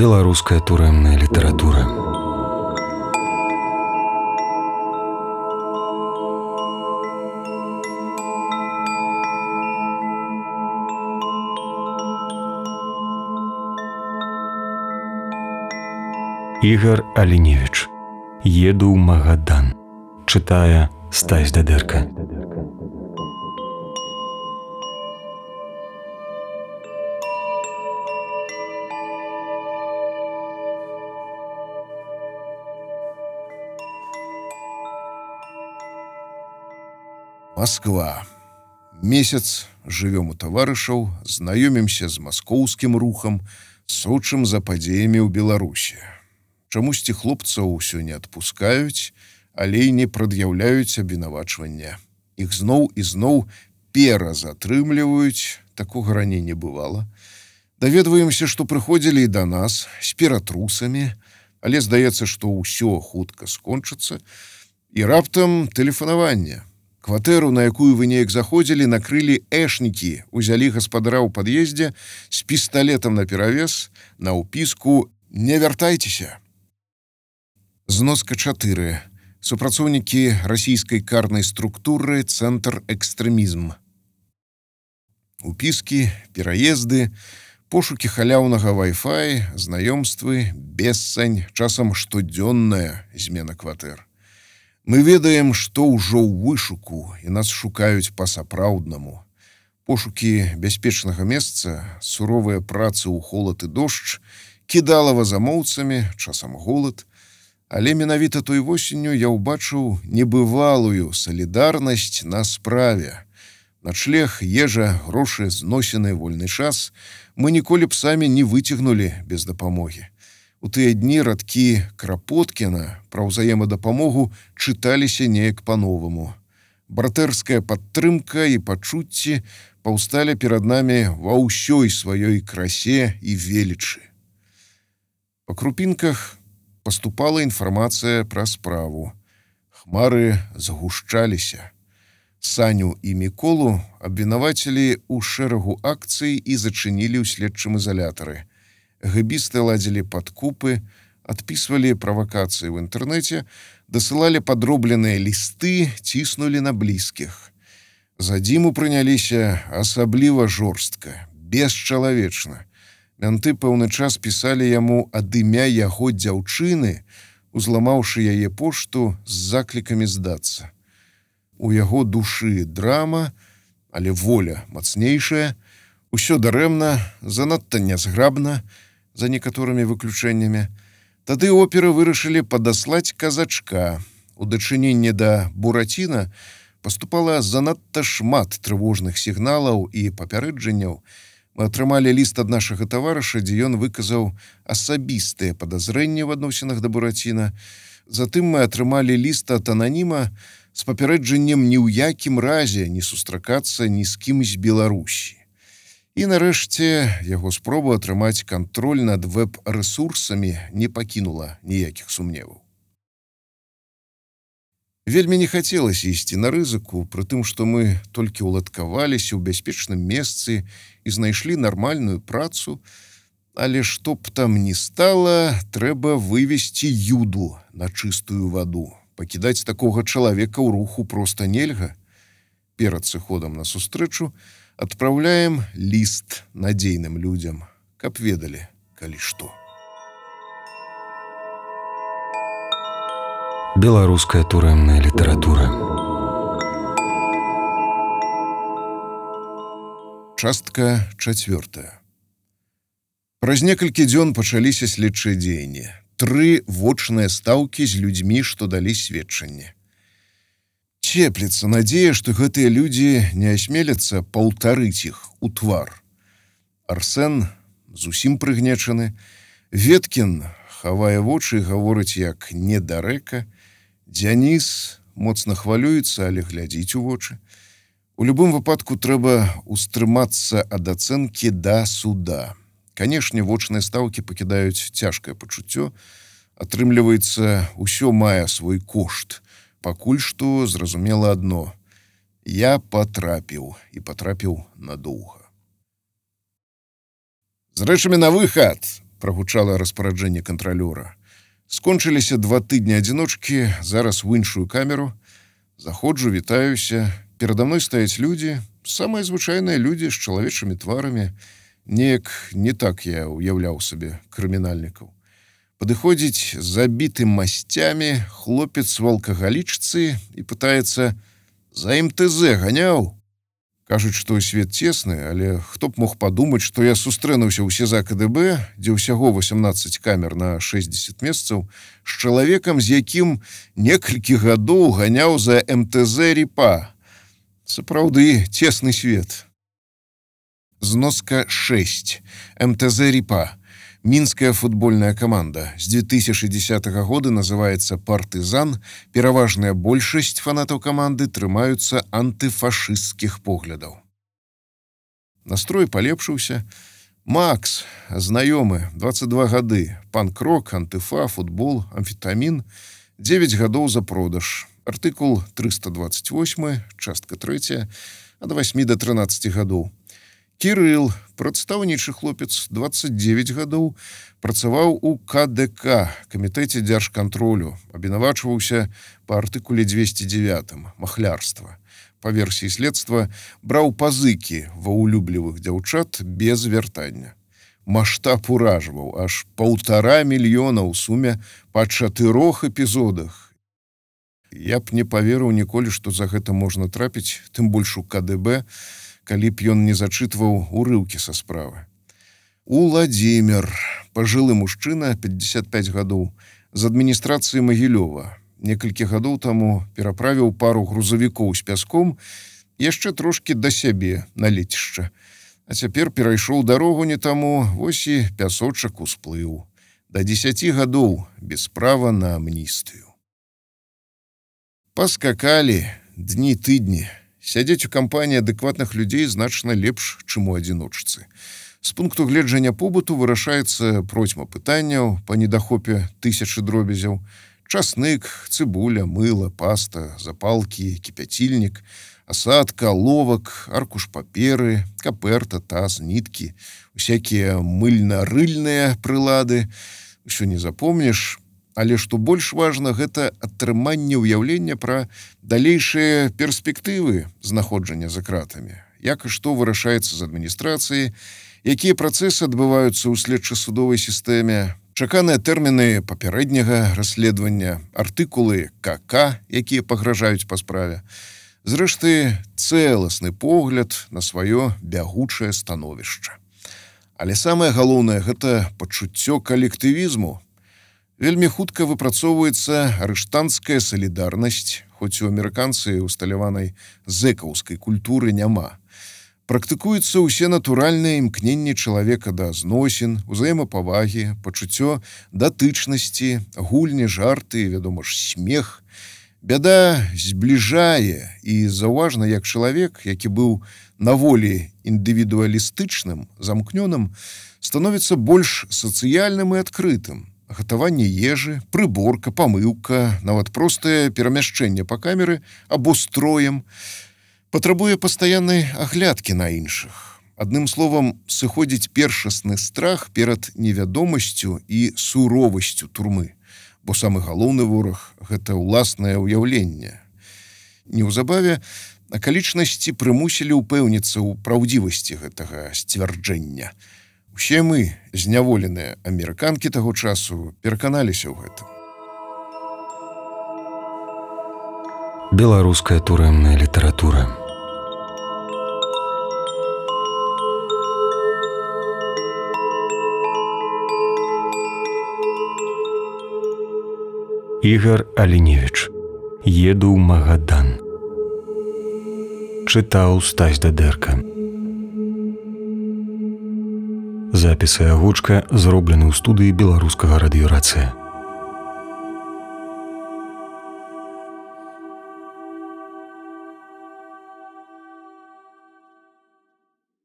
Беларуская турэмная літаратура. Ігар Аліневіч. Еду ў Магадан. Чытае Стась Дадэрка. Москва. Месяц жывём у таварышаў, знаёмімся з маскоўскім рухам, сочым за падзеямі ў Беларусі. Чамусьці хлопцаў усё не адпускаюць, але і не прад'яўляюць абвінавачвання. Іх зноў і зноў перазатрымліваюць, такога раней не бывала. Даведваемся, што прыходзілі і да нас з ператрусамі, але здаецца, што ўсё хутка скончыцца, і раптам тэлефанаванне. Кватэру, на якую вы неяк заходзілі, накрылі эшнікі, узялі гаспадара ў пад'ездзе з пісталетам наперавес, на ўпіску «Не вяртайцеся». Зноска 4. Супрацоўнікі расійскай карнай структуры «Цэнтр экстрэмізм». Упіскі, пераезды, пошукі халяўнага Wi-Fi, знаёмствы, бессань, часам штодзённая змена кватэр. Мы ведаем, што ўжо ў вышуку, і нас шукаюць па-сапраўднаму. Пошукі бяспечнага месца, суровыя працы ў холад і дождж, кідалава замоўцамі, часам голад. Але менавіта той восенню я ўбачыў небывалую салідарнасць на справе. Начлег, ежа, грошы, зносіны, вольны час мы ніколі б самі не выцягнулі без дапамогі. У тыя дні радкі Крапоткіна пра ўзаемадапамогу чыталіся неяк па-новаму. Братэрская падтрымка і пачуцці паўсталі перад намі ва ўсёй сваёй красе і велічы. Па крупінках паступала інфармацыя пра справу. Хмары згушчаліся. Саню і Міколу абвінавацілі ў шэрагу акцый і зачынілі ў следчым ізалятары. Гэбісты ладзілі падкупы, адпісвалі правакацыі ў інтэрнэце, дасылалі падробленыя лісты, ціснулі на блізкіх. За Дзіму прыняліся асабліва жорстка, бесчалавечна. Мянты пэўны час пісалі яму ад імя яго дзяўчыны, узламаўшы яе пошту з заклікамі здацца. У яго душы драма, але воля мацнейшая, усё дарэмна, занадта нязграбна, за некаторымі выключэннямі. Тады оперы вырашылі падаслаць казачка. У дачыненні да Бураціна паступала занадта шмат трывожных сігналаў і папярэджанняў. Мы атрымалі ліст ад нашага таварыша, дзе ён выказаў асабістыя падазрэнні в адносінах да Бураціна. Затым мы атрымалі ліст ад ананіма з папярэджаннем ні ў якім разе не сустракацца ні з кім з Беларусі. І нарэшце яго спроба атрымаць кантроль над вэб-рэсурсамі не пакінула ніякіх сумневаў. Вельмі не хацелася ісці на рызыку, пры тым, што мы толькі ўладкаваліся ў бяспечным месцы і знайшлі нармальную працу, але што б там ні стала, трэба вывесці юду на чыстую ваду. Пакідаць такога чалавека ў руху проста нельга. Перад сыходам на сустрэчу адпраўляем ліст надзейным людзям, каб ведалі, калі што. Беларуская турэмная літаратура. Частка 4. Праз некалькі дзён пачаліся следчыя дзеянні. 3 вочныя стаўкі з людзьмі, што далі сведчанне. Цепліцца надзея, што гэтыя людзі не асмеляцца паўтарыць іх у твар. Арсен зусім прыгнечаны. Веткін хавае вочы і гаворыць як недарэка. Дзяніс моцна хвалюецца, але глядзіць у вочы. У любым выпадку трэба устрымацца ад ацэнкі да суда. Канешне, вочныя стаўкі пакідаюць цяжкае пачуццё. Атрымліваецца, усё мае свой кошт. Пакуль што зразумела адно. Я патрапіў, і патрапіў надоўга. З рэчамі на выхад! прагучала распараджэнне кантралёра. Скончыліся 2 тыдні адзіночкі, зараз в іншую камеру. Заходжу, вітаюся. Перада мной стаяць людзі, самыя звычайныя людзі з чалавечымі тварамі. Неяк не так я уяўляў сабе крымінальнікаў. Падыходзіць з забітым масцямі хлопец в алкагалічцы і пытаецца: «За МТЗ ганяў?» Кажуць, што свет цесны, але хто б мог падумаць, што я сустрэнуўся ў СІЗА КДБ, дзе ўсяго 18 камер на 60 месцаў, з чалавекам, з якім некалькі гадоў ганяў за МТЗ Ріпа. Сапраўды, цесны свет. Зноска 6. МТЗ Ріпа. Мінская футбольная каманда. З 2010 года называецца «Партызан». Пераважная большасць фанатаў каманды трымаюцца антыфашысцкіх поглядаў. Настрой палепшыўся. Макс, знаёмы, 22 гады. Панк-рок, антыфа, футбол, амфетамін. 9 гадоў за продаж. Артыкул 328, частка 3, ад 8 до 13 гадоў. Кірыл, прадстаўнічы хлопец, 29 гадоў, працаваў у КДК, камітэце дзяржкантролю, абвінавачваўся па артыкуле 209, махлярства. Па версіі следства, браў пазыкі ва ўлюблівых дзяўчат без вяртання. Маштаб уражваў, аж 1,5 мільёна ў суме па 4 эпізодах. Я б не паверыў ніколі, што за гэта можна трапіць, тым больш у КДБ, калі б ён не зачытваў урыўкі са справы. Уладзімир, пажылы мужчына, 55 гадоў, з адміністрацыі Магілёва. Некалькі гадоў таму пераправіў пару грузавікоў з пяском, яшчэ трошкі да сябе на лецішча. А цяпер перайшоў дарогу не таму, вось і пясочак усплыў. Да 10 гадоў без права на амністыю. Паскакалі дні-тыдні. Сядзець у кампаніі адэкватных людзей значна лепш, чым у адзіночцы. З пункту гледжання побыту вырашаецца процьма пытанняў па недахопе 1000 дробязяў. Часнык, цыбуля, мыла, паста, запалкі, кіпяцільнік, асадка, ловак, аркуш паперы, каперта, таз, ніткі, усякія мыльна-рыльныя прылады. Усё не запомніш. Але што больш важна, гэта атрыманне ўяўлення пра далейшыя перспектывы знаходжання за кратамі. Як і што вырашаецца з адміністрацыі, якія працэсы адбываюцца ў следча-судовай сістэме, чаканыя тэрміны папярэдняга расследавання, артыкулы КК, якія пагражаюць па справе. Зрэшты, цэласны погляд на сваё бягучае становішча. Але самае галоўнае – гэта пачуццё калектывізму. Вельмі хутка выпрацоўваецца арыштанцкая салідарнасць, хоць у амерыканцы усталяванай зэкаўскай культуры няма. Практыкуюцца ўсе натуральныя імкненні чалавека да зносін, узаемапавагі, пачуццё датычнасці, гульні, жарты, вядома ж, смех. Бяда збліжае, і заўважна, як чалавек, які быў на волі індывідуалістычным, замкнёным, становіцца больш сацыяльным і адкрытым. Гатаванне ежы, прыборка, памыўка, нават простае перамяшчэнне па камеры або строем патрабуе пастаяннай аглядкі на іншых. Адным словам, сыходзіць першасны страх перад невядомасцю і суровасцю турмы, бо самы галоўны вораг – гэта ўласнае ўяўленне. Неўзабаве акалічнасці прымусілі ўпэўніцца ў праўдзівасці гэтага сцвярджэння. Усе мы, зняволеныя амерыканкі таго часу, пераканаліся ў гэтым. Беларуская турэмная літаратура. Ігар Аліневіч. Еду ў Магадан. Чытаў Стась Дадэрка. Запісы агучка зроблены ў студыі беларускага радыёрацыя.